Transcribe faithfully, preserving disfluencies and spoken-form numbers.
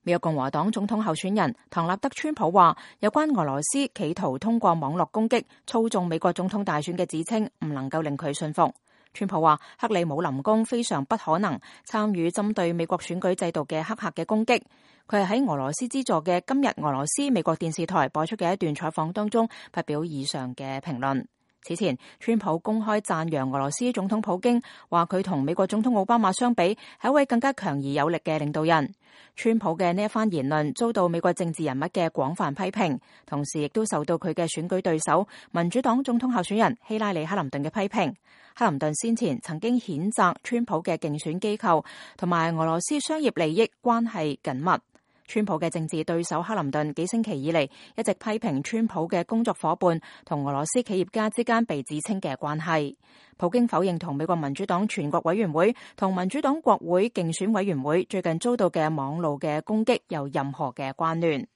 美國共和黨總統候選人唐納德·川普話，有關俄羅斯企圖通過網絡攻擊操縱美國總統大選嘅指稱唔能夠令佢信服。川普話，克里姆林宮非常不可能參與針對美國選舉制度嘅黑客嘅攻擊。佢係喺俄羅斯資助嘅今日俄羅斯美國電視台播出嘅一段採訪當中發表以上嘅評論。此前，川普公開讚揚俄羅斯總統普京，話佢同美國總統奧巴馬相比，係一位更加強而有力嘅領導人。川普嘅呢一番言論遭到美國政治人物嘅廣泛批評，同時亦都受到佢嘅選舉對手民主黨總統候選人希拉里·克林頓嘅批評。克林頓先前曾經譴責川普嘅競選機構同埋俄羅斯商業利益關係緊密。川普嘅政治對手克林頓幾星期以嚟一直批評川普嘅工作夥伴同俄羅斯企業家之間被指稱嘅關係。普京否認同美國民主黨全國委員會同民主黨國會競選委員會最近遭到嘅網路嘅攻擊有任何嘅關聯。